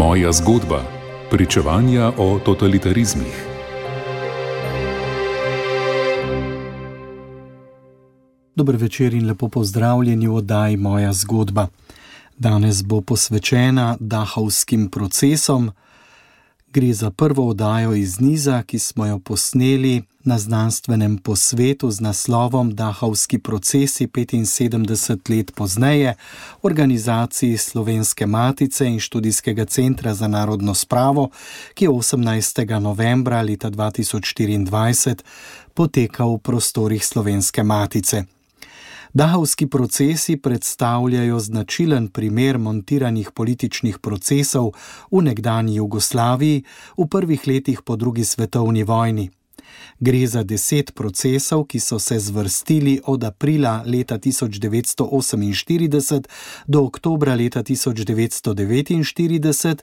Moja zgodba. Pričevanja o totalitarizmih. Dober večer in lepo pozdravljeni v oddaji Moja zgodba. Danes bo posvečena Dachovskim procesom. Gre za prvo oddajo iz niza, ki smo jo posneli na znanstvenem posvetu z naslovom Dachovski procesi 75 let pozneje, organizaciji Slovenske matice in Študijskega centra za narodno spravo, ki je 18. novembra leta 2024 potekal v prostorih Slovenske matice. Dachovski procesi predstavljajo značilen primer montiranih političnih procesov v nekdanji Jugoslaviji v prvih letih po drugi svetovni vojni. Gre za 10 procesov, ki so se zvrstili od aprila leta 1948 do oktobra leta 1949.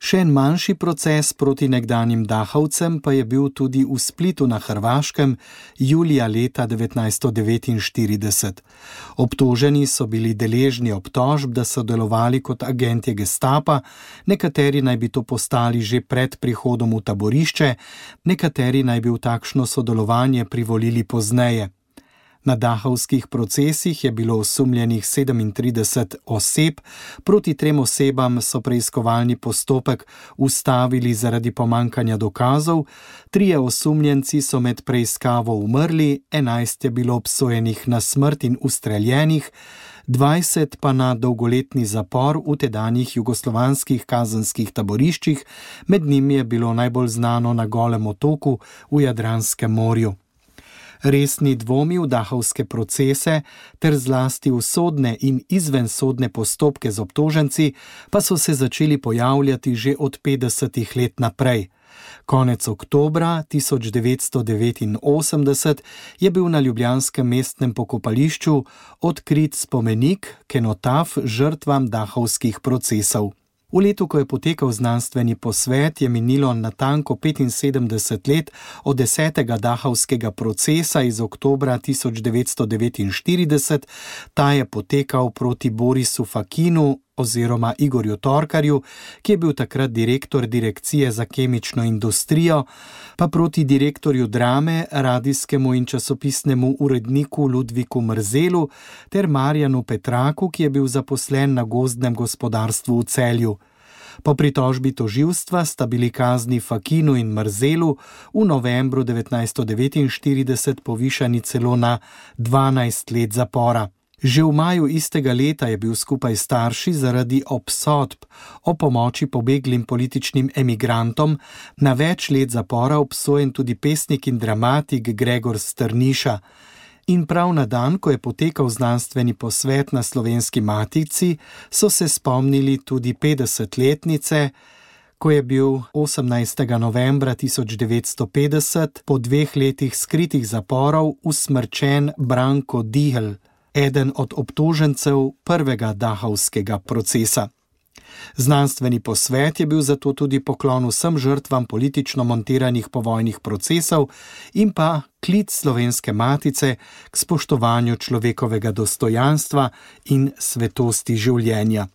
Še en manjši proces proti nekdanjim Dachovcem pa je bil tudi v Splitu na Hrvaškem julija leta 1949. Obtoženi so bili deležni obtožb, da so delovali kot agenti Gestapa, nekateri naj bi to postali že pred prihodom v taborišče, nekateri naj bi v takšno sodelovanje privolili pozneje. Na Dachovskih procesih je bilo osumljenih 37 oseb, proti 3 osebam so preiskovalni postopek ustavili zaradi pomanjkanja dokazov, 3 osumljenci so med preiskavo umrli, 11 je bilo obsojenih na smrt in ustreljenih, 20 pa na dolgoletni zapor v tedanjih jugoslovanskih kazenskih taboriščih, med njimi je bilo najbolj znano na Golem otoku v Jadranskem morju. Resni dvomi v Dachovske procese ter zlasti v sodne in izvensodne postopke z obtoženci pa so se začeli pojavljati že od 50 let naprej. Konec oktobra 1989 je bil na ljubljanskem mestnem pokopališču odkrit spomenik, kenotaf žrtvam Dachovskih procesov. V letu, ko je potekal znanstveni posvet, je minilo natanko 75 let od 10. Dachovskega procesa iz oktobra 1949. Ta je potekal proti Borisu Fakinu oziroma Igorju Torkarju, ki je bil takrat direktor Direkcije za kemično industrijo, pa proti direktorju Drame, radijskemu in časopisnemu uredniku Ludviku Mrzelu ter Marjanu Petraku, ki je bil zaposlen na gozdnem gospodarstvu v Celju. Po pritožbi tožilstva sta bili kazni Fakinu in Mrzelu v novembru 1949 povišani celo na 12 let zapora. Že v maju istega leta je bil skupaj s starši zaradi obsodb o pomoči pobeglim političnim emigrantom na več let zapora obsojen tudi pesnik in dramatik Gregor Strniša. In prav na dan, ko je potekal znanstveni posvet na Slovenski matici, so se spomnili tudi 50-letnice, ko je bil 18. novembra 1950 po 2 letih skritih zaporov usmrčen Branko Dihl, eden od obtožencev prvega Dachovskega procesa. Znanstveni posvet je bil zato tudi poklon vsem žrtvam politično montiranih povojnih procesov in pa klic Slovenske matice k spoštovanju človekovega dostojanstva in svetosti življenja.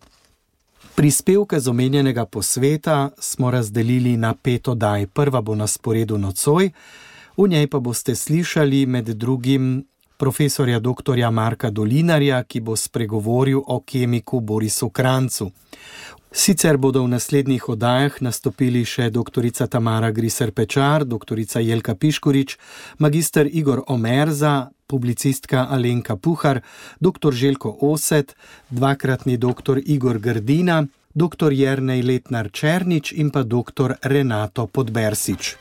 Prispevke z omenjenega posveta smo razdelili na 5 oddaj. Prva bo na sporedu nocoj, v njej pa boste slišali med drugim profesorja dr. Marka Dolinarja, ki bo spregovoril o kemiku Borisu Kranjcu. Sicer bodo v naslednjih oddajah nastopili še dr. Tamara Griser Pečar, dr. Jelka Piškorič, magister Igor Omerza, publicistka Alenka Puhar, dr. Željko Oset, dvakratni dr. Igor Grdina, dr. Jernej Letnar Černič in pa dr. Renato Podbersič.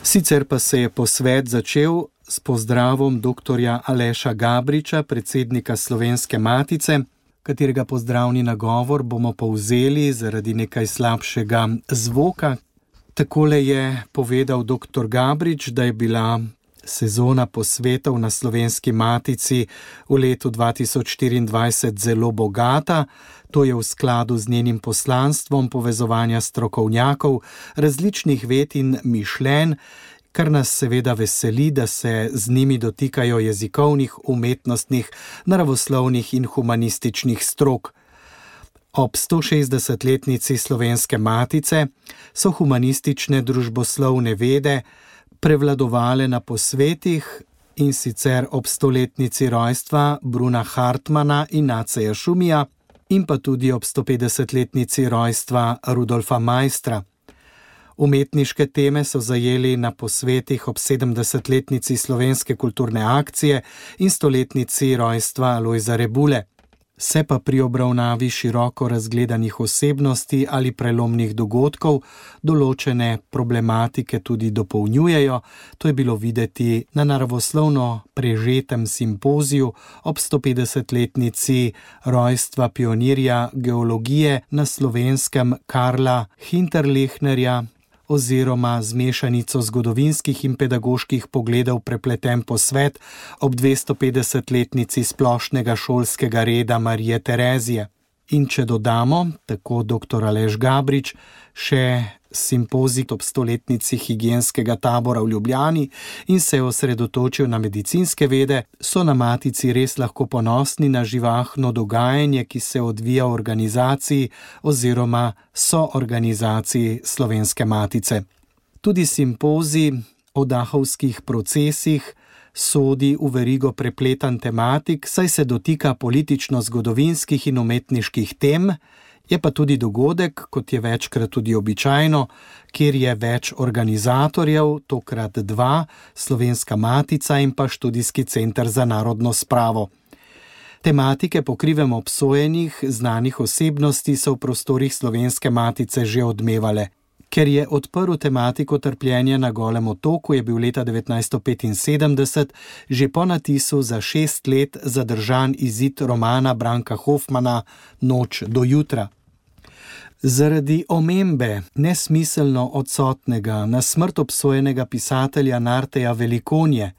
Sicer pa se je posvet začel s pozdravom dr. Aleša Gabriča, predsednika Slovenske matice, katerega pozdravni nagovor bomo povzeli zaradi nekaj slabšega zvoka. Takole je povedal dr. Gabrič, da je bila sezona posvetov na Slovenski matici v letu 2024 zelo bogata. To je v skladu z njenim poslanstvom povezovanja strokovnjakov, različnih ved in mišljenj, kar nas seveda veseli, da se z njimi dotikajo jezikovnih, umetnostnih, naravoslovnih in humanističnih strok. Ob 160-letnici Slovenske matice so humanistične družboslovne vede prevladovale na posvetih, in sicer ob 100-letnici rojstva Bruna Hartmana in Naceja Šumija in pa tudi ob 150-letnici rojstva Rudolfa Maistra. Umetniške teme so zajeli na posvetih ob 70-letnici Slovenske kulturne akcije in 100-letnici rojstva Lojza Rebule. Se pa pri obravnavi široko razgledanih osebnosti ali prelomnih dogodkov določene problematike tudi dopolnjujejo. To je bilo videti na naravoslovno prežetem simpoziju ob 150-letnici rojstva pionirja geologije na Slovenskem Karla Hinterlechnerja oziroma z mešanico zgodovinskih in pedagoških pogledov prepleten posvet ob 250-letnici splošnega šolskega reda Marije Terezije. In če dodamo, tako dr. Aleš Gabrič, še simpozij ob 100-letnici higienskega tabora v Ljubljani in se osredotočil na medicinske vede, so na Matici res lahko ponosni na živahno dogajanje, ki se odvija v organizaciji oziroma soorganizaciji Slovenske Matice. Tudi simpozij o dahovskih procesih sodi v verigo prepletan tematik, saj se dotika politično-zgodovinskih in umetniških tem, je pa tudi dogodek, kot je večkrat tudi običajno, kjer je več organizatorjev, tokrat 2, Slovenska Matica in pa Študijski center za narodno spravo. Tematike po krivem obsojenih znanih osebnosti so v prostorih Slovenske Matice že odmevale. Ker je odprl tematiko trpljenja na Golem otoku, je bil leta 1975 že po natisu za 6 let zadržan izid romana Branka Hofmana Noč do jutra. Zaradi omembe nesmiselno odsotnega na smrt obsojenega pisatelja Narteja Velikonje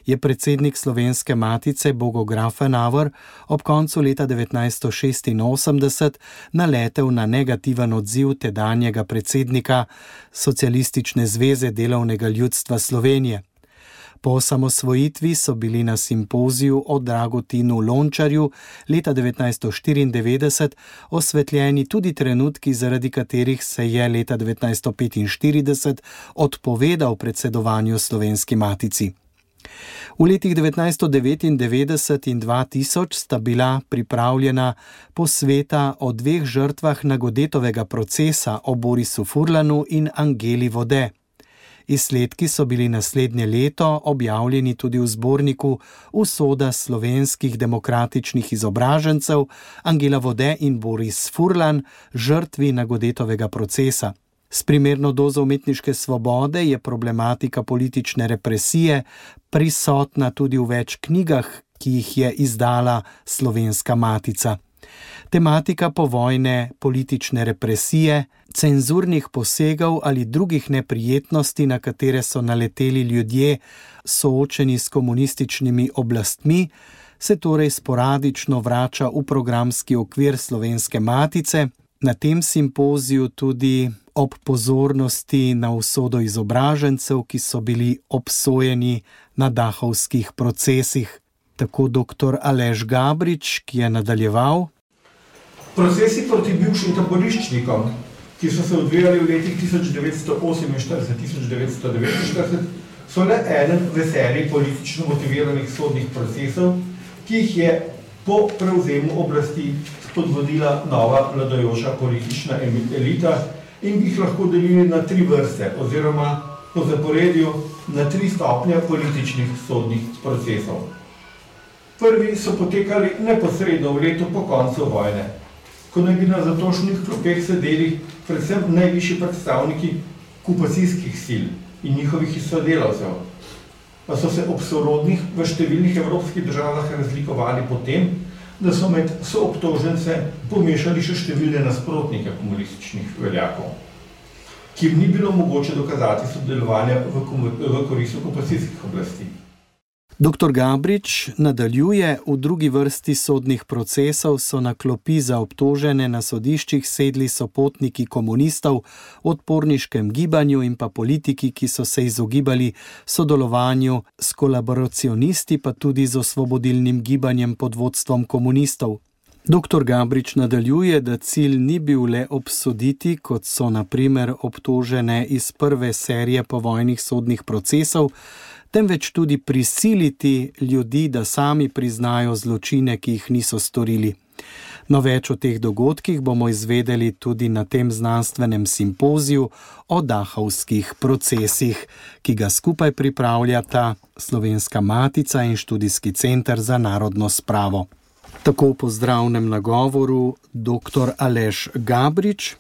je predsednik Slovenske Matice Bogo Grafenauer ob koncu leta 1986 naletel na negativen odziv tedanjega predsednika Socialistične zveze delovnega ljudstva Slovenije. Po osamosvojitvi so bili na simpoziju o Dragotinu Lončarju leta 1994 osvetljeni tudi trenutki, zaradi katerih se je leta 1945 odpovedal predsedovanju Slovenski Matici. V letih 1999 in 2000 sta bila pripravljena posveta o 2 žrtvah Nagodetovega procesa, o Borisu Furlanu in Angeli Vode. Izsledki so bili naslednje leto objavljeni tudi v zborniku Usoda slovenskih demokratičnih izobražencev Angela Vode in Boris Furlan, žrtvi Nagodetovega procesa. S primerno dozo umetniške svobode je problematika politične represije prisotna tudi v več knjigah, ki jih je izdala Slovenska Matica. Tematika povojne politične represije, cenzurnih posegov ali drugih neprijetnosti, na katere so naleteli ljudje soočeni s komunističnimi oblastmi, se torej sporadično vrača v programski okvir Slovenske Matice. Na tem simpoziju tudi ob pozornosti na usodo izobražencev, ki so bili obsojeni na dahovskih procesih. Tako dr. Aleš Gabrič, ki je nadaljeval. Procesi proti bivšim taboriščnikom, ki so se odvijali v letih 1948-1949, so le eden v seriji politično motiviranih sodnih procesov, ki jih je po prevzemu oblasti spodbudila nova vladajoča politična elita in bi jih lahko delili na 3 vrste oziroma po zaporedju na 3 stopnje političnih sodnih procesov. Prvi so potekali neposredno v letu po koncu vojne, ko naj bi na zatošnih klopeh sedeli predvsem najvišji predstavniki okupacijskih sil in njihovih sodelavcev, pa so se ob sorodnih v številnih evropskih državah razlikovali po tem, da so med soobtožence pomešali še številne nasprotnike komunističnih veljakov, ki jim ni bilo mogoče dokazati sodelovanja v korist okupacijskih oblasti. Dr. Gabrič nadaljuje, v drugi vrsti sodnih procesov so na klopi za obtožene na sodiščih sedli sopotniki komunistov v odporniškem gibanju in pa politiki, ki so se izogibali sodelovanju s kolaboracionisti, pa tudi z osvobodilnim gibanjem pod vodstvom komunistov. Dr. Gabrič nadaljuje, da cilj ni bil le obsoditi, kot so na primer obtožene iz prve serije povojnih sodnih procesov, temveč tudi prisiliti ljudi, da sami priznajo zločine, ki jih niso storili. No, več o teh dogodkih bomo izvedeli tudi na tem znanstvenem simpoziju o Dachovskih procesih, ki ga skupaj pripravljata Slovenska matica in Študijski center za narodno spravo. Tako v pozdravnem nagovoru dr. Aleš Gabrič,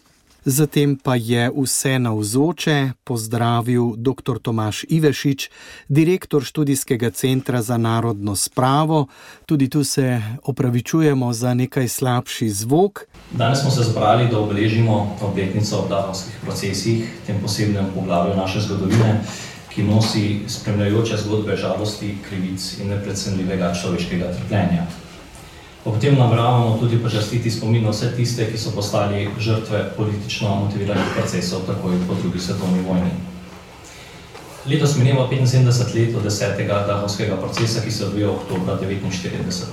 zatem pa je vse navzoče pozdravil dr. Tomaž Ivešič, direktor Študijskega centra za narodno spravo. Tudi tu se opravičujemo za nekaj slabši zvok. Danes smo se zbrali, da obeležimo obletnico o Dachovskih procesih, tem posebnem poglavju naše zgodovine, ki nosi spremljajoče zgodbe žalosti, krivic in neprecenljivega človeškega trpljenja. Ob tem nameravamo tudi počastiti spomin na vse tiste, ki so postali žrtve politično motiviranih procesov takoj po drugi svetovni vojni. Letos mineva 75 let od 10. Dachovskega procesa, ki se odvija oktobra 1949.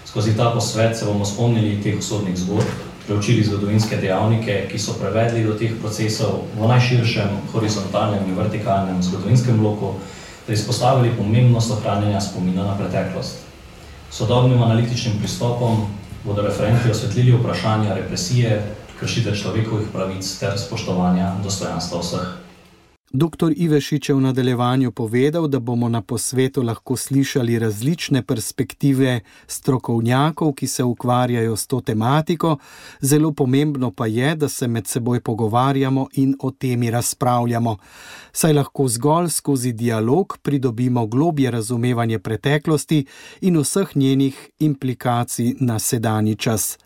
Skozi ta posvet se bomo spomnili teh usodnih zgodb, preučili zgodovinske dejavnike, ki so prevedli do teh procesov v najširšem horizontalnem in vertikalnem zgodovinskem bloku, ter izpostavili pomembnost ohranjanja spomina na preteklost. Sodobnim analitičnim pristopom bodo referenti osvetlili vprašanja represije, kršitev človekovih pravic ter spoštovanja dostojanstva vseh. Dr. Ivešič je v nadaljevanju povedal, da bomo na posvetu lahko slišali različne perspektive strokovnjakov, ki se ukvarjajo s to tematiko. Zelo pomembno pa je, da se med seboj pogovarjamo in o temi razpravljamo, saj lahko zgolj skozi dialog pridobimo globje razumevanje preteklosti in vseh njenih implikacij na sedanji čas.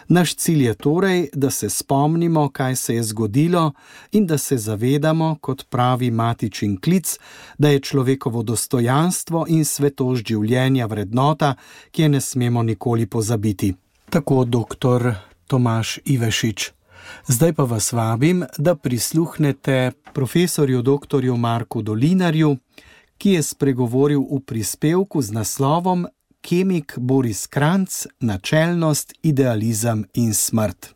Naš cilj je torej, da se spomnimo, kaj se je zgodilo in da se zavedamo, kot pravi matičin klic, da je človekovo dostojanstvo in svetost življenja vrednota, ki je ne smemo nikoli pozabiti. Tako dr. Tomaž Ivešič. Zdaj pa vas vabim, da prisluhnete profesorju dr. Marku Dolinarju, ki je spregovoril v prispevku z naslovom Kemik Boris Kranjc, načelnost, idealizem in smrt.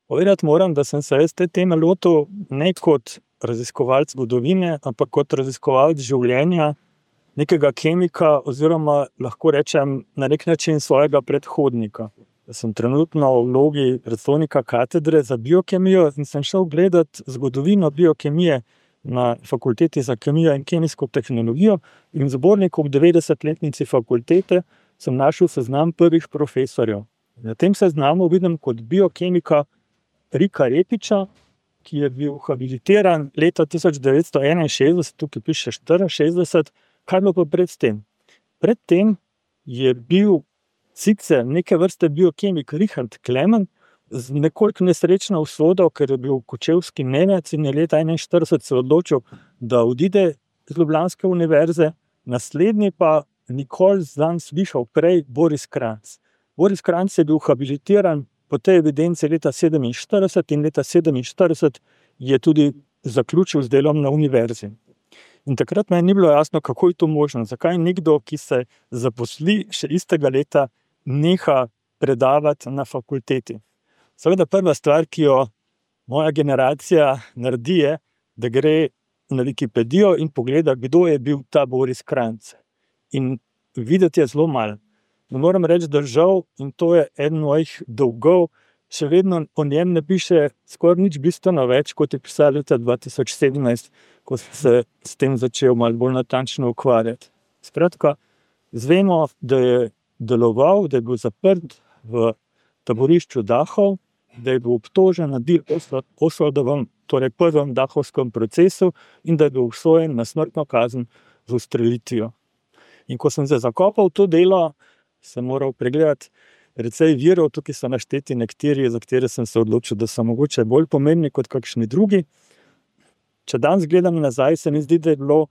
Povedati moram, da sem se te teme lotil ne kot raziskovalec zgodovine, ampak kot raziskovalec življenja nekega kemika oziroma lahko rečem na nek način svojega predhodnika. Da sem trenutno v vlogi predstojnika katedre za biokemijo in sem šel gledati zgodovino biokemije na fakulteti za kemijo in kemijsko tehnologijo in v zborniku ob 90-letnici fakultete sem našel seznam prvih profesorjev. Na tem seznamu vidim kot biokemika Rika Repiča, ki je bil habilitiran leta 1961, tukaj piše 64, kaj bilo pa pred tem? Pred tem je bil sicer neke vrste biokemik Richard Klemen z nekoliko nesrečno usodo, ker je bil kočevski Nemec in je leta 1941 se odločil, da odide z Ljubljanske univerze, naslednji pa nikoli zanj slišal prej Boris Kranjc. Boris Kranjc je bil habilitiran po tej evidenci leta 1947 in leta 1947 je tudi zaključil z delom na univerzi. In takrat meni ni bilo jasno, kako je to možno, zakaj nekdo, ki se zaposli še istega leta, neha predavati na fakulteti. Seveda prva stvar, ki jo moja generacija naredi, je, da gre na Wikipedijo in pogleda, kdo je bil ta Boris Kranjc. In videti je zelo malo. Ne moram reči, da žal, in to je eden mojih dolgov, še vedno o njem ne piše skoraj nič bistveno več, kot je pisal leta 2017, ko se s tem začel malo bolj natančno ukvarjati. Skratka, zvemo, da je deloval, da je bil zaprt v taborišču Dachau, da je bil obtožen na del Oswaldovem, torej prvem Dachovskem procesu in da je bil obsojen na smrtno kazen z ustrelitvijo. In ko sem se zakopal v to delo, sem moral pregledati precej virov, tukaj so našteti nekateri, za katere sem se odločil, da so mogoče bolj pomembni kot kakšni drugi. Če danes gledam nazaj, se mi zdi, da je bilo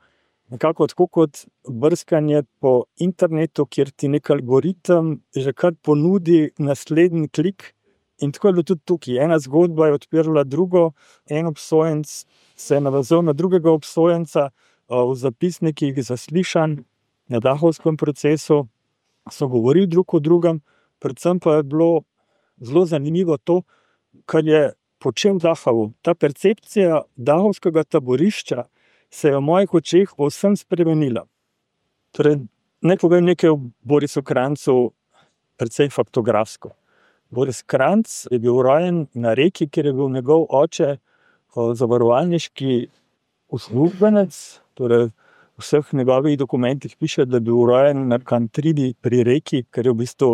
nekako tako kot brskanje po internetu, kjer ti nek algoritem že kar ponudi naslednji klik. In tako je bilo tudi tukaj. Ena zgodba je odpirala drugo, en obsojenec se je navezal na drugega obsojenca, v zapisnikih zaslišanj na dahovskem procesu so govorili drug o drugem, predvsem pa je bilo zelo zanimivo to, kar je počel Dachau. Ta percepcija dahovskega taborišča se je v mojih očeh povsem spremenila. Torej, naj povem nekaj o Borisu Kranjcu, precej faktografsko. Boris Kranjc je bil rojen na Reki, kjer je bil njegov oče zavarovalniški uslužbenec, torej v vseh njegovih dokumentih piše, da je bil rojen na Kantridi pri Reki, ker je v bistvu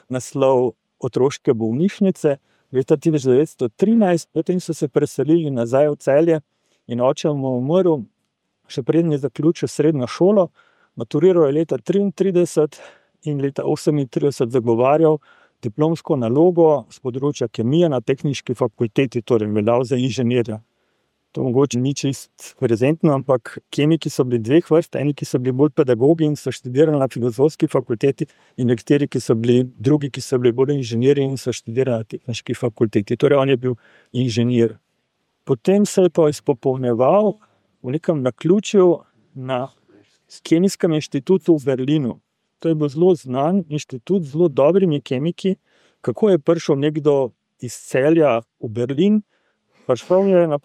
naslov otroške bolnišnice. Leta 1913, potem so se preselili nazaj v Celje in oče mu umrl, še preden je zaključil srednjo šolo, maturiral je leta 1933 in leta 1938 zagovarjal diplomsko nalogo z področja kemije na Tehniški fakulteti, torej veljal za inženirja. To mogoče ni čist prezentno, ampak kemiki so bili dveh vrst, eni, ki so bili bolj pedagogi in so študirali na Filozofski fakulteti, in nekateri, ki so bili drugi, ki so bili bolj inženirji in so študirali na Tehniški fakulteti. Torej on je bil inženir. Potem se je pa izpopolnjeval v nekem naključju na Kemijskem inštitutu v Berlinu. To je bil zelo znan inštitut z zelo dobrimi kemiki. Kako je prišel nekdo iz Celja v Berlin? Prišel je na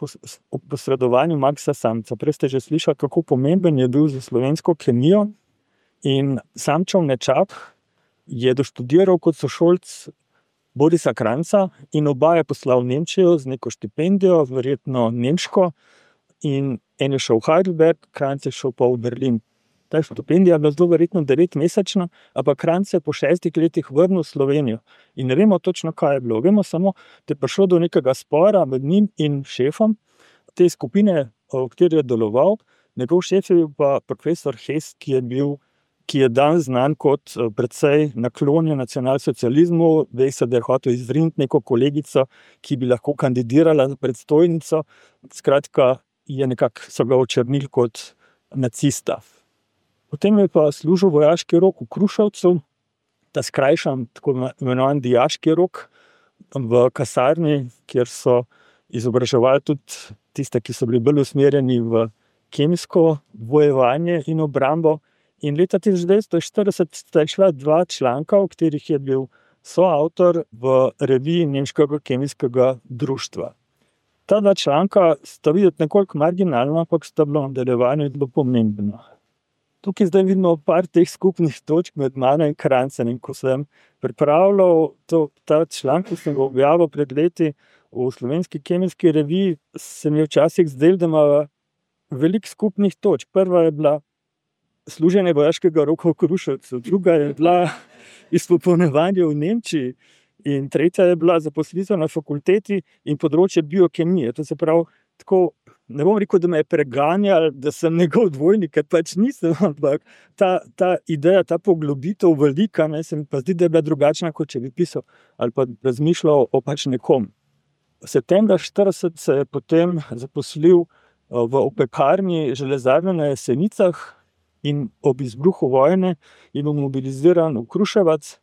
posredovanju Maxa Samca. Prej ste že slišali, kako pomemben je bil za slovensko kemijo. In Samčev nečak je doštudiral kot sošolc Borisa Kranjca in oba je poslal v Nemčijo z neko štipendijo, verjetno nemško. In en je šel v Heidelberg, Kranjc je šel pa v Berlin. Ta štipendija je bila zelo verjetno 9-mesečna, ampak Kranjc se je po 6 letih vrnil v Slovenijo. In ne vemo točno, kaj je bilo. Vemo samo, da je prišlo do nekega spora med njim in šefom te skupine, v kateri je deloval. Njegov šef je bil pa profesor Hess, ki je dan znan kot precej naklonjen nacionalsocializmu, ve se, da je hotel izriniti neko kolegico, ki bi lahko kandidirala za predstojnico. Skratka, so ga očrnili kot nacista. Potem je pa služil vojaški rok v Kruševcu, ta skrajšan, tako imenovan dijaški rok v kasarni, kjer so izobraževali tudi tiste, ki so bili bolj usmerjeni v kemijsko bojevanje in obrambo. In leta 1940 sta išla 2 članka, v katerih je bil soavtor v reviji Nemškega kemijskega društva. Ta 2 članka sta videti nekoliko marginalna, ampak sta bila v nadaljevanju zelo pomembna. Tukaj zdaj vidimo par teh skupnih točk med mano in Kranjcem. In ko sem pripravljal ta članek, ki sem ga objavil pred leti v Slovenski kemijski reviji, se mi je včasih zdelo, da ima veliko skupnih točk. Prva je bila služenje vojaškega roka v Kruševcu, druga je bila izpopolnjevanje v Nemčiji in tretja je bila zaposlitev na fakulteti in področje biokemije. To se pravi, tako, ne bom rekel, da me je preganjal, da sem njegov dvojnik, ker pač nisem, ampak ta ideja, ta poglobitev velika, se mi pa zdi, da je bila drugačna, kot če bi pisal ali pa razmišljal o pač nekom. Septembra 1940 se je potem zaposlil v opekarni železarne na Jesenicah in ob izbruhu vojne je bil mobiliziran v Kruševac,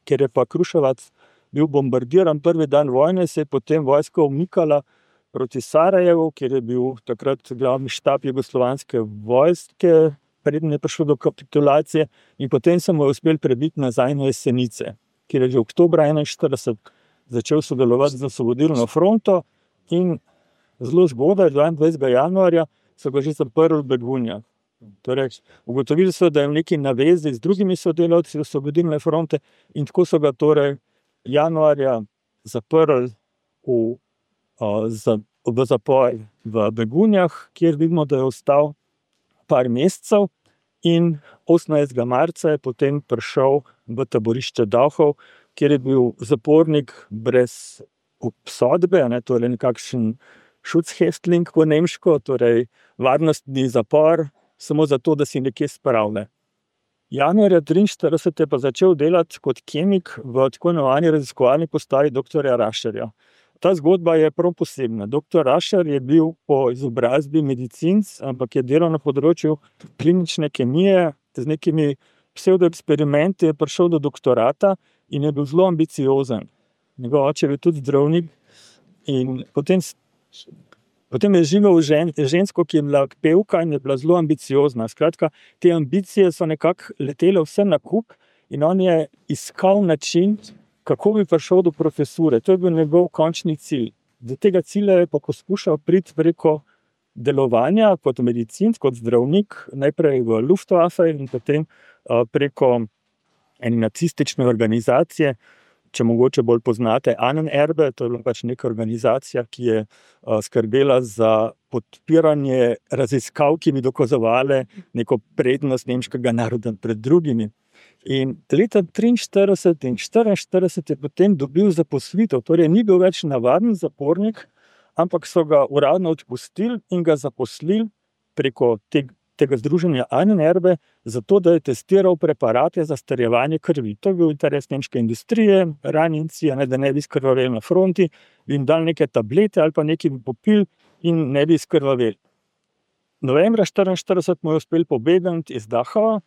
ker je pa Kruševac bil bombardiran prvi dan vojne, se je potem vojska umikala proti Sarajevu, kjer je bil takrat glavni štab jugoslovanske vojske, preden je prišlo do kapitulacije, in potem se mu je uspel prebiti nazaj na Jesenice, kjer je že oktobra 1941 začel sodelovati z Osvobodilno fronto in zelo zgodaj, 22. januarja, so ga že zaprli v Begunjah. Torej, ugotovili so, da je v neki navezi z drugimi sodelavci Osvobodilne fronte in tako so ga torej januarja zaprli v zapor v Begunjah, kjer vidimo, da je ostal par mesecev in 18. marca je potem prišel v taborišče Dachau, kjer je bil zapornik brez obsodbe, torej nekakšen Schutzhäftling po nemško, torej varnostni zapor, samo zato, da si nekje spravlja. Januarja 1943 je pa začel delati kot kemik v tako imenovani raziskovalni postaji dr. Rašerja. ta zgodba je prav posebna. Dr. Rašer je bil po izobrazbi medicinc, ampak je delal na področju klinične kemije, z nekimi psevdoeksperimenti je prišel do doktorata in je bil zelo ambiciozen. Njegov oče je bil tudi zdravnik in potem je živel žensko, ki je bila pevka in je bila zelo ambiciozna. Skratka, te ambicije so nekako letele vse na kup in on je iskal način, kako bi prišel do profesure. To je bil njegov končni cilj. Do tega cilja je pa poskušal priti preko delovanja kot medicinc, kot zdravnik, najprej v Luftwaffe in potem preko ene nacistične organizacije, če mogoče bolj poznate Ahnenerbe, to je bila pač neka organizacija, ki je skrbela za podpiranje raziskav, ki bi dokazovale neko prednost nemškega naroda pred drugimi. In leta 1943 in 1944 je potem dobil zaposlitev, torej ni bil več navaden zapornik, ampak so ga uradno odpustili in ga zaposlili preko tega združenja Ahnenerbe, zato da je testiral preparate za strjevanje krvi. To je bil interes nemške industrije, ranjenci, da ne bi skrvaveli na fronti, bi jim dali neke tablete ali pa nekaj bi popili in ne bi skrvaveli. Novembra 1944 mu je uspel pobegniti iz Dachau.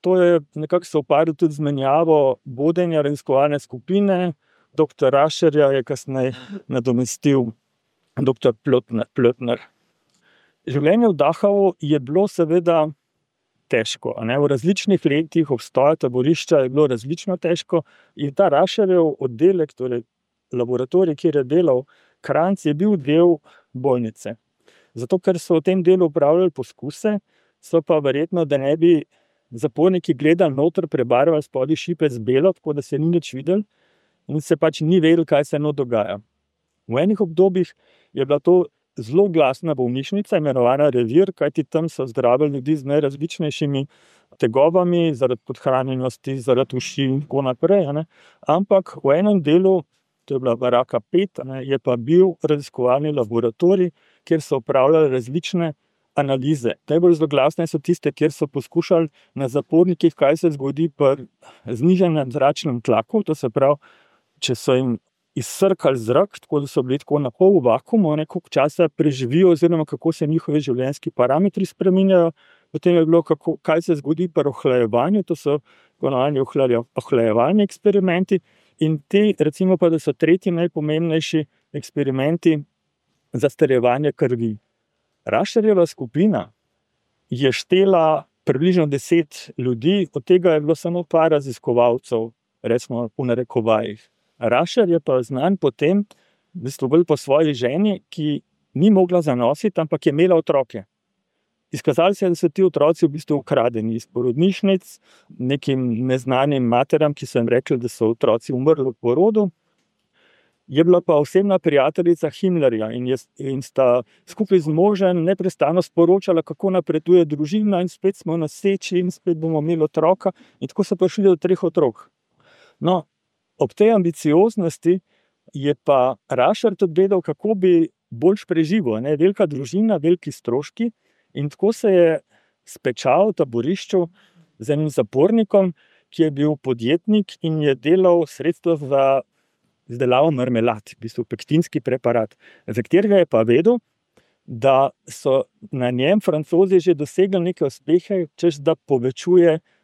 To je nekako sovpadlo tudi z menjavo vodenja raziskovalne skupine. Dr. Rašerja je kasneje nadomestil dr. Plötner. Življenje v Dachau je bilo seveda težko. V različnih letih obstoja taborišča je bilo različno težko in ta Rašerjev oddelek, torej laboratorij, kjer je delal, Kranjc, je bil del bolnice. Zato, ker so v tem delu upravljali poskuse, so pa verjetno, da ne bi zaporniki gledali noter, prebarvali spodaj šipe z belo, tako da se ni nič videli in se pač ni vedel, kaj se dogaja. V enih obdobjih je bila to zelo glasna bolnišnica, imenovana Revir, kajti tam so zdravili ljudi z najrazličnejšimi tegobami, zaradi podhranjenosti, zaradi uši in tako naprej. Ampak v enem delu, to je bila baraka 5, je pa bil raziskovalni laboratorij, kjer so opravljali različne analize. Najbolj zloglasne so tiste, kjer so poskušali na zapornikih, kaj se zgodi pri znižanem zračnem tlaku, to se pravi, če so jim izsrkali zrak, tako da so bili tako na pol v vakuumu, koliko časa preživijo oziroma kako se njihovi življenjski parametri spreminjajo. Potem je bilo, kaj se zgodi pri ohlajevanju, to so ponovni ohlajevalni eksperimenti in te, recimo pa, da so tretji najpomembnejši eksperimenti za strjevanje krvi. Rašerjeva skupina je štela približno 10 ljudi, od tega je bilo samo par raziskovalcev, recimo v narekovajih. Rašer je pa znan potem, v bistvu bolj po svoji ženi, ki ni mogla zanositi, ampak je imela otroke. Izkazalo se je, da so ti otroci v bistvu ukradeni iz porodnišnic, nekim neznanim materam, ki so jim rekli, da so otroci umrli v porodu. Je bila pa osebna prijateljica Himmlerja in sta skupaj z možem neprestano sporočala, kako napreduje družina in spet smo na seči in spet bomo imeli otroka in tako so prišli do 3 otrok. No, ob tej ambicioznosti je pa Rašer tudi vedel, kako bi boljš preživel. Velika družina, veliki stroški in tako se je spečal v taborišču z enim zapornikom, ki je bil podjetnik in je delal sredstva za izdelavo marmelad, v bistvu pektinski preparat, za katerega je pa vedel, da so na njem Francozi že dosegli neke uspehe, češ da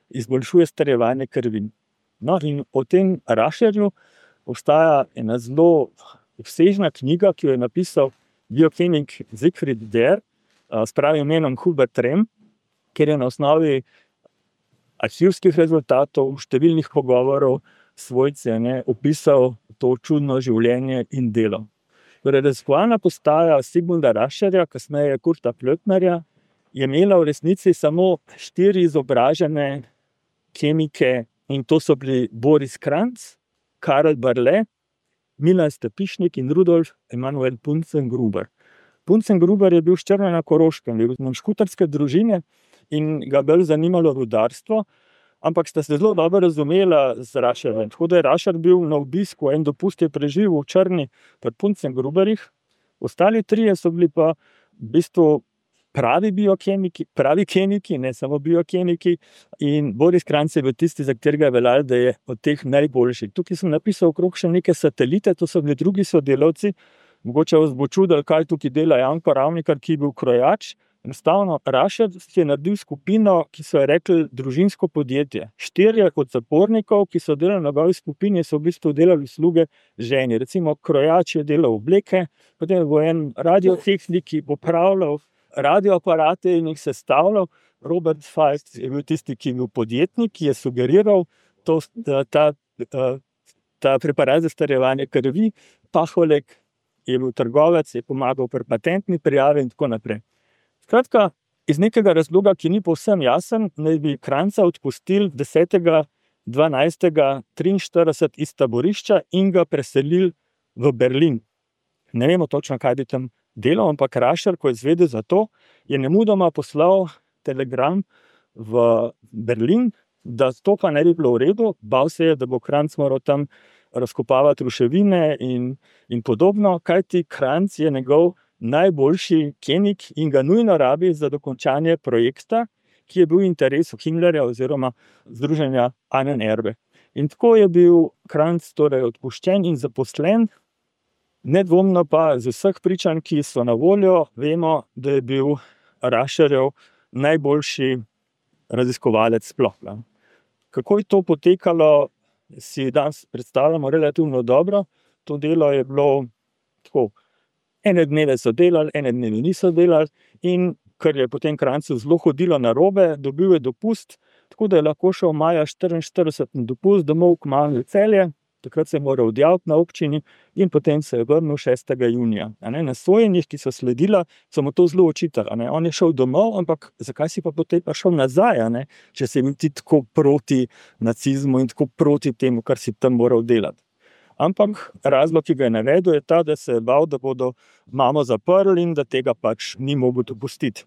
izboljšuje strjevanje krvi. No, in o tem Rašerju obstaja ena zelo obsežna knjiga, ki jo je napisal biokemik Siegfried Der, s pravim imenom Hubert Rehm, kjer je na osnovi arhivskih rezultatov, številnih pogovorov svojce opisal to čudno življenje in delo. Raziskovalna postaja Sigmunda Rašerja, kasneje Kurta Plötnerja, je imela v resnici samo 4 izobražene kemike in to so bili Boris Kranjc, Karl Barle, Milan Stepišnik in Rudolf Emanuel Punzengruber. Punzengruber je bil s Črne na Koroškem, je bil škutarske družine in ga bolj zanimalo rudarstvo, ampak sta se zelo dobro razumela z Rašerjem. Tako da je Rašer bil na obisku, en dopust je preživel v Črni pri Punzengruberjih, ostali 3 so bili pa v bistvu pravi biokemiki, pravi kemiki, ne samo biokemiki. In Boris Kranjc je bil tisti, za katerega je veljalo, da je od teh najboljši. Tukaj sem napisal okrog še neke satelite, to so bili drugi sodelavci. Mogoče vas bo čudilo, kaj tukaj dela Janko Ravnikar, ki je bil krojač. Enostavno, Rašer je naredil skupino, ki so jo rekli družinsko podjetje. 4 od zapornikov, ki so delali na njegovi skupini, so v bistvu delali usluge ženi. Recimo, krojač je delal obleke, potem bo en radiotehnik, ki bo popravljal radioaparate in jih sestavljal. Robert Fajt je bil tisti, ki je bil podjetnik, ki je sugeriral ta preparat za starjevanje krvi. Paholek je bil trgovec, je pomagal pri patentni prijavi in tako naprej. Skratka, iz nekega razloga, ki ni povsem jasen, naj bi Kranjca odpustili 10.12.43 iz taborišča in ga preselili v Berlin. Ne vemo točno, kaj bi tam delal, ampak Rašer, ko je izvedel za to, je nemudoma poslal telegram v Berlin, da to pa ne bi bilo v redu. Bal se je, da bo Kranjc moral tam razkopavati ruševine in podobno, kajti Kranjc je njegov najboljši kemik in ga nujno rabi za dokončanje projekta, ki je bil v interesu Himmlerja oziroma združenja Ahnenerbe. In tako je bil Kranjc torej odpuščen in zaposlen. Nedvomno pa z vseh pričanj, ki so na voljo, vemo, da je bil Rašerjev najboljši raziskovalec sploh. Kako je to potekalo, si danes predstavljamo relativno dobro. To delo je bilo tako. Ene dneve so delali, ene dneve niso delali in ker je potem Kranjcu zelo hodilo narobe, dobil je dopust, tako da je lahko šel maja 1944 na dopust domov k mami v Celje. Takrat se je moral odjaviti na občini in potem se je vrnil 6. junija. Na sojenjih, ki so sledila, so mu to zelo očitali. On je šel domov, ampak zakaj si pa potem pa šel nazaj, če si bil ti tako proti nacizmu in tako proti temu, kar si tam moral delati. Ampak razlog, ki ga je navedel, je ta, da se je bal, da bodo mamo zaprli in da tega pač ni mogel dopustiti.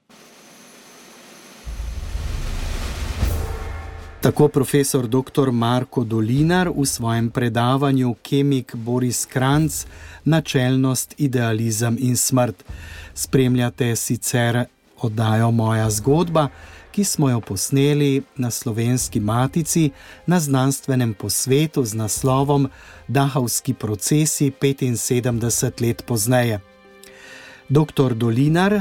Tako profesor dr. Marko Dolinar v svojem predavanju Kemik Boris Kranjc, načelnost, idealizem in smrt. Spremljate sicer oddajo Moja zgodba, ki smo jo posneli na Slovenski matici na znanstvenem posvetu z naslovom Dahovski procesi 75 let pozneje. Dr. Dolinar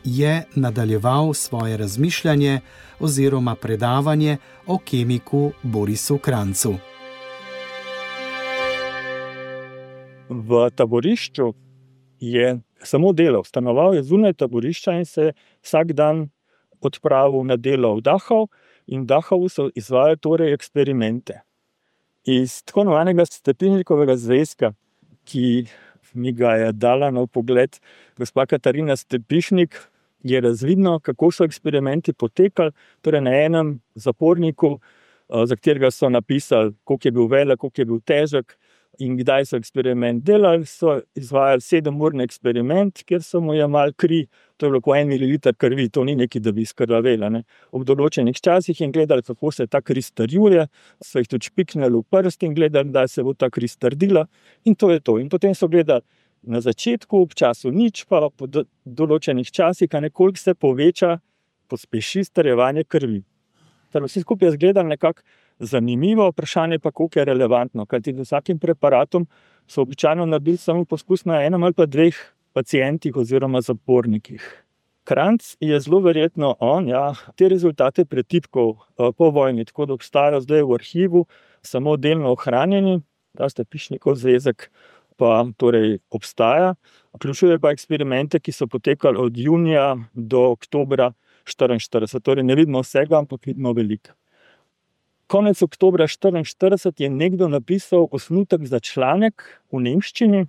je nadaljeval svoje razmišljanje oziroma predavanje o kemiku Borisu Kranjcu. V taborišču je samo delal, stanoval je zunaj taborišča in se vsak dan odpravil na delo v Dachau in v Dachovu so izvajali torej eksperimente. Iz tako imenovanega Stepinšnikovega zvezka, ki mi ga je dala na vpogled gospa Katarina Stepišnik, je razvidno, kako so eksperimenti potekali. Torej na enem zaporniku, za katerega so napisali, koliko je bil velik, koliko je bil težek in kdaj so eksperiment delali, so izvajali 7-urni eksperiment, kjer so mu jemali kri, to je bilo po 1 ml krvi, to ni nekaj, da bi izkrvavela. Ob določenih časih in gledali, kako se ta kri strjuje, so jih tudi špiknili v prst in gledali, da se bo ta kri strdila in to je to. In potem so gledali na začetku, ob času nič, pa po določenih časih, koliko se poveča, pospeši strjevanje krvi. Vsi skupaj je izgledalo nekako zanimivo, vprašanje pa, koliko je relevantno, kajti z vsakim preparatom so običajno naredili samo poskus na 1 ali pa 2 pacientih oziroma zapornikih. Kranjc je zelo verjetno te rezultate pretipkal po vojni, tako da obstajajo zdaj v arhivu samo delno ohranjeni, ta Stepišnikov zvezek pa torej obstaja. Vključuje pa eksperimente, ki so potekali od junija do oktobra 1944, torej ne vidimo vsega, ampak vidimo veliko. Konec oktobra 1944 je nekdo napisal osnutek za članek v nemščini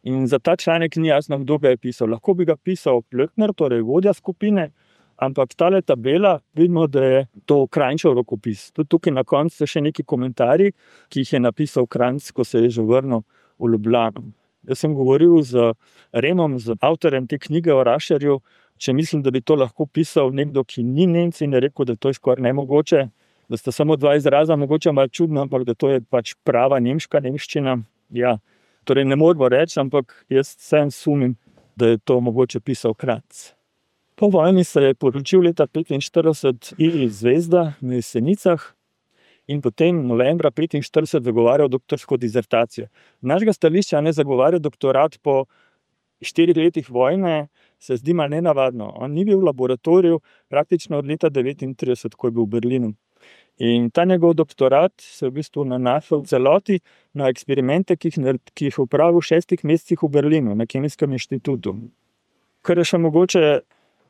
in za ta članek ni jasno, kdo ga je pisal. Lahko bi ga pisal Plöckner, torej vodja skupine, ampak tale tabela, vidimo, da je to Kranjčev rokopis. Tudi tukaj na koncu so še neki komentarji, ki jih je napisal Kranjc, ko se je že vrnil v Ljubljano. Jaz sem govoril z Remom, z avtorjem te knjige o Rašerju, če mislim, da bi to lahko pisal nekdo, ki ni Nemec, in je rekel, da to je skoraj nemogoče, da sta samo 2 izraza, mogoče malo čudno, ampak da to je pač prava nemška nemščina. Ja, torej ne moramo reči, ampak jaz vsem sumim, da je to mogoče pisal Kranjc. Po vojni se je poročil leta 1945 Ilij Zvezda na Jesenicah in potem novembra 1945 zagovarjal doktorsko disertacijo. Z našega stališča zagovarja doktorat po 4 letih vojne se zdi malo nenavadno. On ni bil v laboratoriju praktično od leta 1939, ko je bil v Berlinu. In ta njegov doktorat se v bistvu nanašal v celoti na eksperimente, ki jih opravil v 6 mesecih v Berlinu, na Kemijskem inštitutu. Kar je še mogoče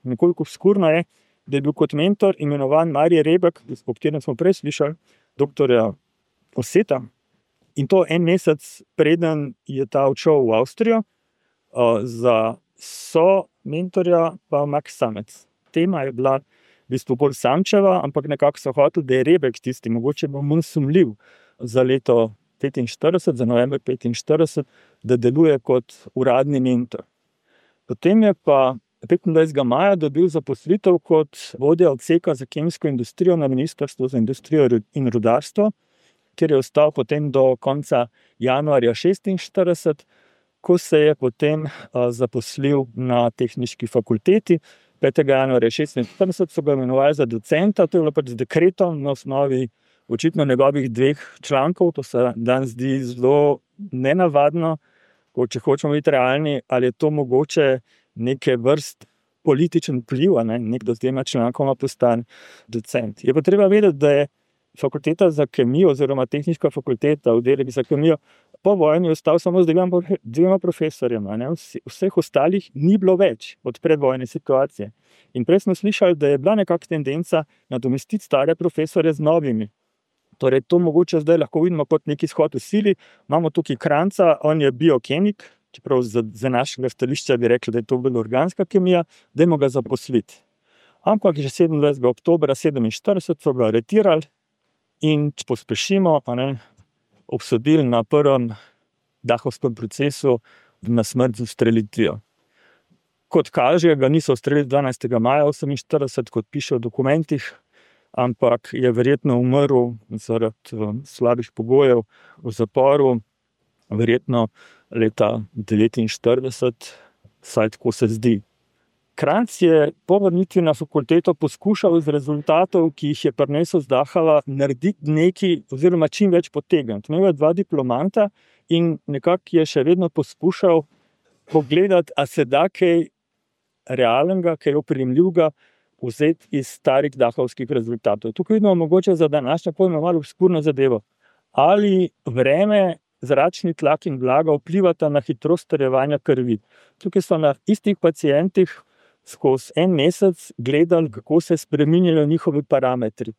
nekoliko obskurno je, da je bil kot mentor imenovan Marij Rebek, o katerem smo prej slišali, doktorja Osseta. In to 1 mesec preden je ta odšel v Avstrijo, za mentorja pa Max Samec. Tema je bila v bistvu bolj Samčeva, ampak nekako so hoteli, da je Rebek tisti, mogoče bo manj sumljiv za leto 1945, za november 1945, da deluje kot uradni mentor. Potem je pa 25. maja dobil zaposlitev kot vodja odseka za kemijsko industrijo na Ministrstvu za industrijo in rudarstvo, kjer je ostal potem do konca januarja 1946, ko se je potem zaposlil na Tehniški fakulteti. 5. januarja 1946 so ga imenovali za docenta, to je bilo pač z dekretom na osnovi očitno njegovih 2 člankov. To se danes zdi zelo nenavadno, če hočemo biti realni, ali je to mogoče neke vrst političen vpliv, nekdo z 2 člankoma postane docent. Je pa treba vedeti, da je fakulteta za kemijo oziroma Tehniška fakulteta, oddelek za kemijo, po vojni ostal samo z 2 profesorjema. Vseh ostalih ni bilo več od predvojne situacije. In prej smo slišali, da je bila nekakšna tendenca nadomestiti stare profesorje z novimi. Torej, to mogoče zdaj lahko vidimo kot neki izhod v sili. Imamo tukaj Kranjca, on je biokemik, čeprav za našega stališča bi rekli, da je to bolj organska kemija, dajmo ga zaposliti. Ampak že 27. oktobra 1947 so ga aretirali in če pospešimo, obsodili na prvem dahovskem procesu na smrt z ustrelitvijo. Kot kaže, ga niso ustrelili 12. maja 1948, kot piše v dokumentih, ampak je verjetno umrl zaradi slabih pogojev v zaporu, verjetno leta 1949, vsaj tako se zdi. Kranjc je po vrnitvi na fakulteto poskušal iz rezultatov, ki jih je prinesel z Dachau, narediti nekaj oziroma čim več potegniti. Imel je 2 diplomanta in nekako je še vedno poskušal pogledati, a se da kaj realnega, kaj oprijemljivega vzeti iz starih dahovskih rezultatov. Tukaj vidimo mogoče za današnje pojme malo obskurno zadevo. Ali vreme, zračni tlak in vlaga vplivata na hitrost strjevanja krvi. Tukaj so na istih pacientih skozi 1 mesec gledali, kako se spreminjajo njihovi parametri.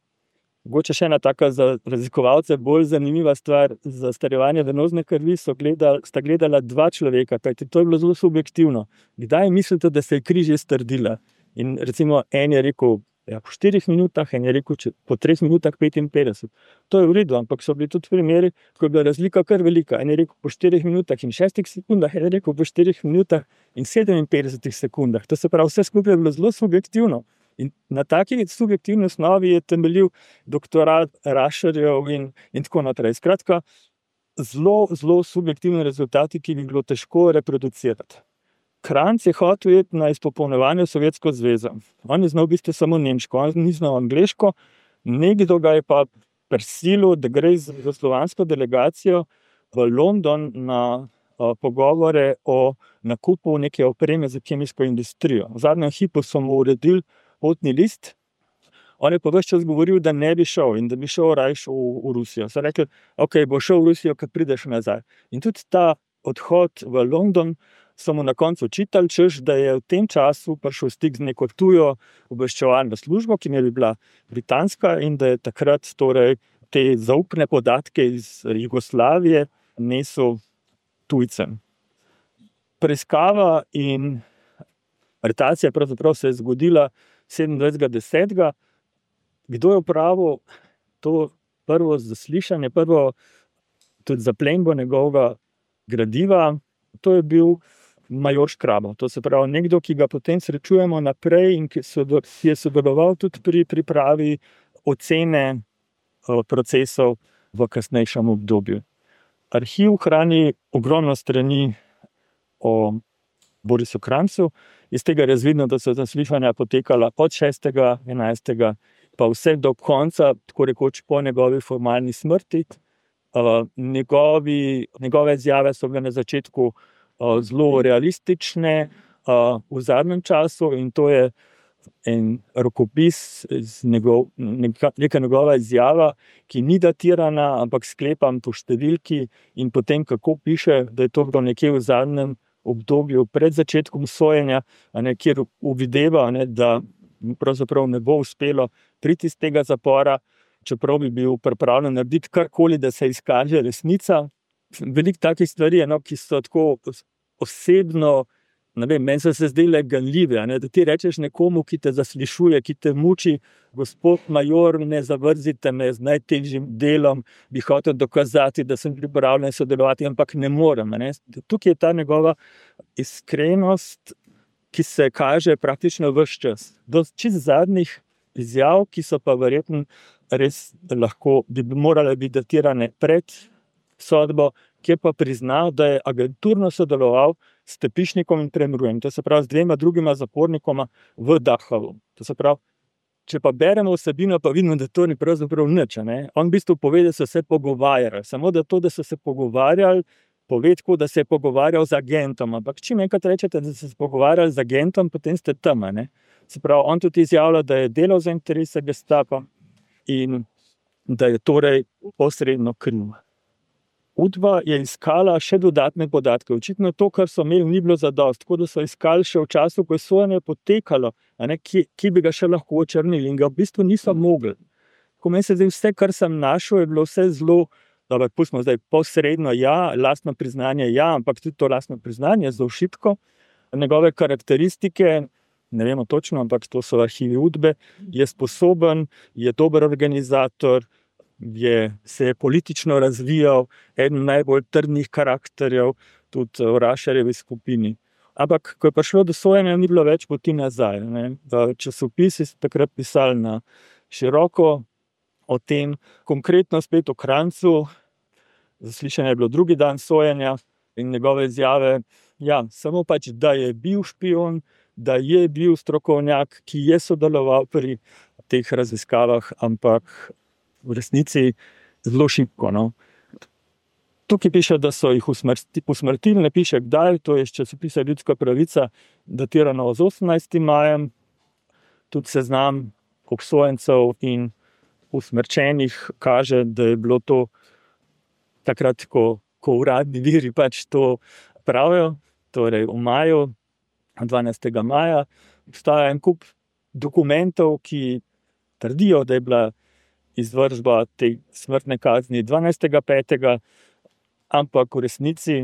Mogoče še ena taka za raziskovalce bolj zanimiva stvar, za strjevanje venozne krvi sta gledala 2 človeka, kajti to je bilo zelo subjektivno. Kdaj mislite, da se je kri že strdila? In recimo en je rekel po 4 minutah, en je rekel po 3 minutah 55. To je v redu, ampak so bili tudi primeri, ko je bila razlika kar velika. En je rekel po 4 minutah in 6 sekundah, en je rekel po 4 minutah in 57 sekundah. To se pravi, vse skupaj je bilo zelo subjektivno. In na taki subjektivni osnovi je temeljil doktorat Rašarjev in tako naprej. Skratka, zelo subjektivni rezultati, ki bi bilo težko reproducirati. Kranjc je hotel iti na izpopolnjevanje v Sovjetsko zvezo. On je znal v bistvu samo nemško, on ni znal angleško, nekdo ga je pa prisilil, da gre z slovansko delegacijo v London na pogovore o nakupu neke opreme za kemijsko industrijo. V zadnjem hipu so mu uredili potni list, on je pa ves čas govoril, da ne bi šel in da bi šel rajš v Rusijo. So rekli, ok, bo šel v Rusijo, kad prideš nazaj. In tudi ta odhod v London so mu na koncu očitali, češ, da je v tem času prišel stik z neko tujo obveščevalno službo, ki je bila britanska, in da je takrat torej te zaupne podatke iz Jugoslavije nesel tujcem. Preiskava in aretacija pravzaprav se je zgodila 27.10. Kdo je opravil to prvo zaslišanje, prvo tudi zaplembo njegovega gradiva? To je bil major Škrabov. To se pravi nekdo, ki ga potem srečujemo naprej in ki je sodeloval tudi pri pripravi ocene procesov v kasnejšem obdobju. Arhiv hrani ogromno strani o Borisu Kranjcu Iz tega je razvidno, da so zaslišanja potekala od 6.11. pa vse do konca, tako rekoč po njegovi formalni smrti. Njegove izjave so bile na začetku zelo realistične, v zadnjem času, in to je en rokopis, neka njegova izjava, ki ni datirana, ampak sklepam po številki in potem, kako piše, da je to bilo nekje v zadnjem obdobju pred začetkom sojenja, kjer uvideva, da pravzaprav ne bo uspelo priti iz tega zapora, čeprav bi bil pripravljen narediti karkoli, da se izkaže resnica. Veliko takih stvari, ki so tako osebno, meni so se zdele ganljive, da ti rečeš nekomu, ki te zaslišuje, ki te muči: gospod major, ne zavrzite me, z najtežjim delom bi hotel dokazati, da sem pripravljen sodelovati, ampak ne morem. Tukaj je ta njegova iskrenost, ki se kaže praktično ves čas. Do čisto zadnjih izjav, ki so pa verjetno res lahko, bi morale biti datirane pred sodbo, kjer pa priznal, da je agenturno sodeloval s Stepišnikom in Premrujem, to se pravi z 2 drugima zapornikoma v Dachavu. To se pravi, če pa beremo vsebino, pa vidimo, da to ni pravzaprav nič. On v bistvu pove, da so se pogovarjali, samo da to, da so se pogovarjali, pove tako, da se je pogovarjal z agentom, ampak čim enkrat rečete, da ste se pogovarjali z agentom, potem ste tam. Se pravi, on tudi izjavlja, da je delal za interese Gestapa in da je torej posredno kriv. Udba je iskala še dodatne podatke. Očitno to, kar so imeli, ni bilo zadosti, tako da so iskali še v času, ko je sojenje potekalo, ki bi ga še lahko očrnili, in ga v bistvu niso mogli. Ko meni se zdi, vse, kar sem našel, je bilo vse zelo, dobro, pustimo zdaj posredno, lastno priznanje, ampak tudi to lastno priznanje je zelo šibko. Njegove karakteristike, ne vemo točno, ampak to so arhivi Udbe, je sposoben, je dober organizator, se je politično razvijal, eden najbolj trdnih karakterjev, tudi v Rašarjevi skupini. Ampak, ko je prišlo do sojenja, ni bilo več poti nazaj. Časopisi so takrat pisali na široko o tem, konkretno spet o Kranjcu. Zaslišanje je bilo drugi dan sojenja in njegove izjave, samo pač, da je bil špion, da je bil strokovnjak, ki je sodeloval pri teh raziskavah, ampak v resnici zelo šibko. Tukaj piše, da so jih usmrtili, ne piše kdaj, to je iz časopisa Ljudska pravica, datirano z 18. majem. Tudi seznam obsojencev in usmrčenih kaže, da je bilo to takrat, ko uradni viri pač to pravijo, torej v maju, 12. maja. Obstaja en kup dokumentov, ki trdijo, da je bila izvršba te smrtne kazni 12.5., ampak v resnici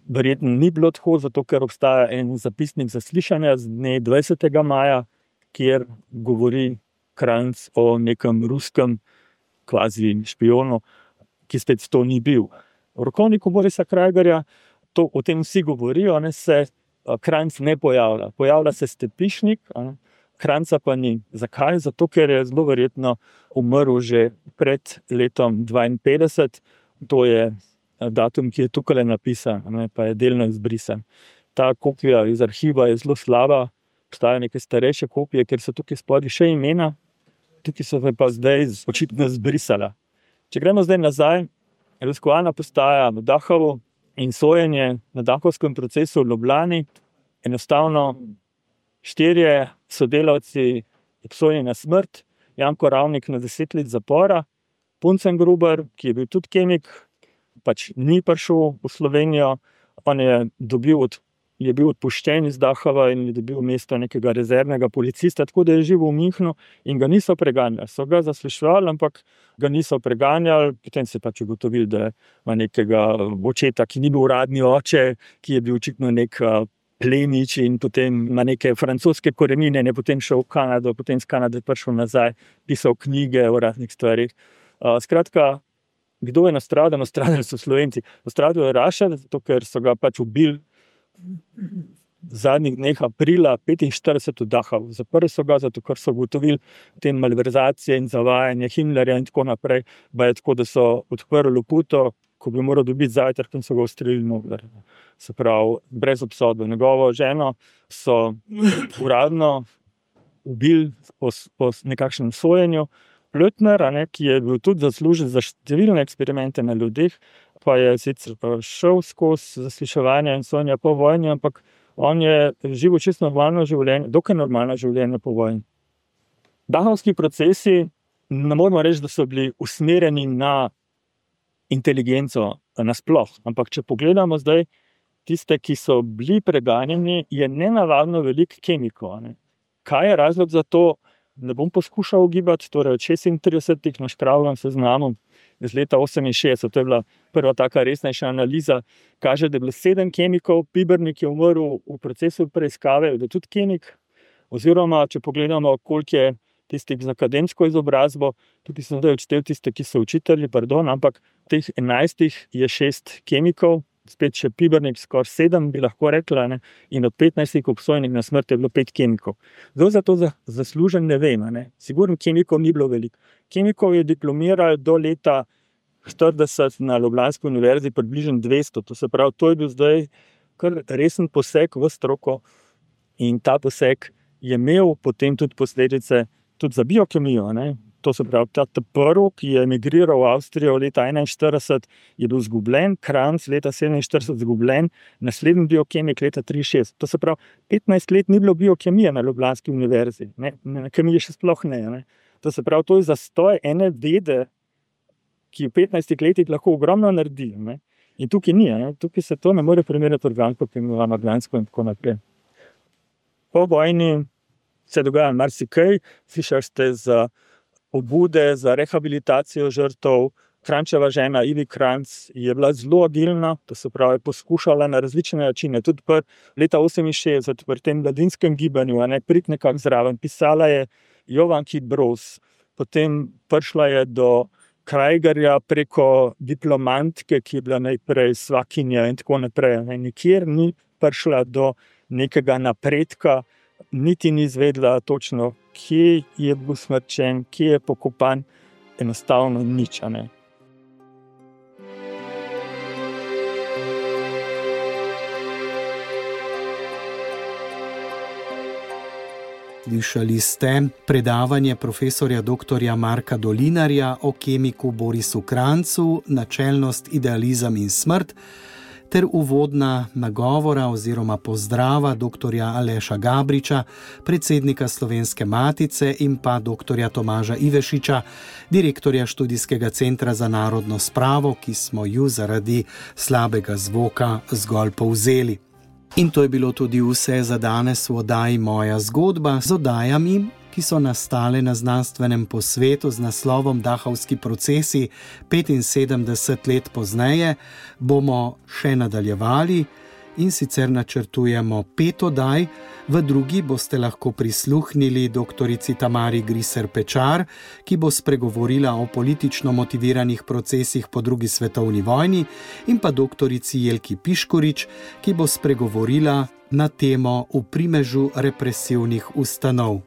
verjetno ni bilo tako, zato ker obstaja en zapisnik zaslišanja z dne 20. maja, kjer govori Kranjc o nekem ruskem kvazi špionu, ki spet to ni bil. V rokovniku Borisa Krajgerja o tem vsi govorijo, se Kranjc ne pojavlja. Pojavlja se Stepišnik, Kranjca pa ni. Zakaj? Zato, ker je zelo verjetno umrl že pred letom 52. To je datum, ki je tukaj napisan, pa je delno izbrisan. Ta kopija iz arhiva je zelo slaba, obstajajo neke starejše kopije, ker so tukaj spodaj še imena, tukaj so pa zdaj očitno zbrisala. Če gremo zdaj nazaj, raziskovalna postaja v Dachavu in sojenje na Dahovskem procesu v Ljubljani, enostavno 4 sodelavci obsojeni na smrt, Janko Ravnik na 10 let zapora, Puncengruber, ki je bil tudi kemik, pač ni prišel v Slovenijo, on je bil odpuščen iz Dachava in je dobil mesto nekega rezervnega policista, tako da je živel v Münchnu in ga niso preganjali. So ga zasliševali, ampak ga niso preganjali, potem se je pač ugotovili, da ima nekega očeta, ki ni bil uradni oče, ki je bil očitno nek plemič in potem ima neke francoske korenine, je potem šel v Kanado, potem z Kanade prišel nazaj, pisal knjige o raznih stvarih. Skratka, kdo je nastradal? Nastradali so Slovenci. Nastradal je Rašar, zato ker so ga pač ubili v zadnjih dneh aprila 1945 v Dachavu. Zaprli so ga, zato ker so ugotovili te malverzacije in zavajanje Himmlerja in tako naprej. Ba je tako, da so odprli loputo, ko bi moral dobiti zajtrk in so ga ustrelili noter. Se pravi, brez obsodbe. Njegovo ženo so uradno ubili po nekakšnem sojenju. Blötner, ki je bil tudi zaslužen za številne eksperimente na ljudeh, pa je sicer šel skozi zasliševanje in sojenja po vojni, ampak on je živel čisto normalno življenje, dokaj normalno življenje po vojni. Dachovski procesi, ne moramo reči, da so bili usmerjeni na inteligenco nasploh, ampak če pogledamo zdaj tiste, ki so bili preganjeni, je nenavadno veliko kemikov. Kaj je razlog za to? Ne bom poskušal ugibati, torej od 36 naškravljam seznamom iz leta 68, to je bila prva taka resnejša analiza, kaže, da je bilo 7 kemikov, Pibernik je umrl v procesu preiskave, da je tudi kemik, oziroma če pogledamo, koliko je tistih z akademsko izobrazbo, tudi sem zdaj odštel tiste, ki so učitelji, ampak teh 11 je 6 kemikov, spet še Pibernik, skoraj 7 bi lahko rekla, in od 15 obsojenih na smrt je bilo 5 kemikov. Zdaj za to zaslužen ne vem, sigurno kemikov ni bilo veliko. Kemikov je diplomiral do leta 40 na Ljubljanski univerzi približno 200, to se pravi, to je bil zdaj kar resen poseg v stroko in ta poseg je imel potem tudi posledice tudi za biokemijo, To se pravi, ta prvi, ki je emigriral v Avstrijo leta 41, je bil izgubljen, Kranz leta 47 izgubljen, naslednji biokemik leta 63. To se pravi, 15 let ni bilo biokemije na Ljubljanski univerzi, na kemiji še sploh ne. To se pravi, to je zastoj ene vede, ki v 15 letih lahko ogromno naredi. In tukaj ni, tukaj se to ne more primerjati organsko, imenovano organsko in tako naprej. Po vojni se dogaja marsikaj, slišali ste za pobude za rehabilitacijo žrtev. Krančeva žena Ivi Kranz je bila zelo agilna, to se pravi, poskušala na različne načine, tudi leta 68 pri tem mladinskem gibanju, priti nekako zraven. Pisala je Jovan Kit Broz, potem prišla je do Krajgerja preko diplomantke, ki je bila najprej svakinja in tako naprej. Nikjer ni prišla do nekega napredka, niti ni izvedela točno, kje je bil smrčen, kje je pokopan, enostavno nič. Slišali ste predavanje profesorja dr. Marka Dolinarja o kemiku Borisu Krancu, Načelnost, idealizem in smrt, ter uvodna nagovora oziroma pozdrava dr. Aleša Gabriča, predsednika Slovenske matice, in pa dr. Tomaža Ivešiča, direktorja Študijskega centra za narodno spravo, ki smo ju zaradi slabega zvoka zgolj povzeli. In to je bilo tudi vse za danes v oddaji Moja zgodba z oddajami, ki so nastale na znanstvenem posvetu z naslovom Dachovski procesi 75 let pozneje, bomo še nadaljevali in sicer načrtujemo 5 oddaj. V drugi boste lahko prisluhnili doktorici Tamari Griser Pečar, ki bo spregovorila o politično motiviranih procesih po drugi svetovni vojni, in pa doktorici Jelki Piškorič, ki bo spregovorila na temo V primežu represivnih ustanov.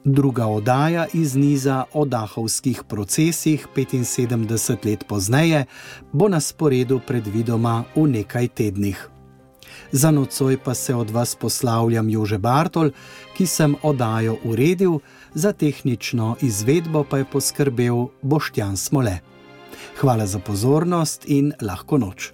Druga oddaja iz niza o Dachovskih procesih 75 let pozneje bo na sporedu predvidoma v nekaj tednih. Za nocoj pa se od vas poslavljam Jože Bartol, ki sem oddajo uredil, za tehnično izvedbo pa je poskrbel Boštjan Smole. Hvala za pozornost in lahko noč.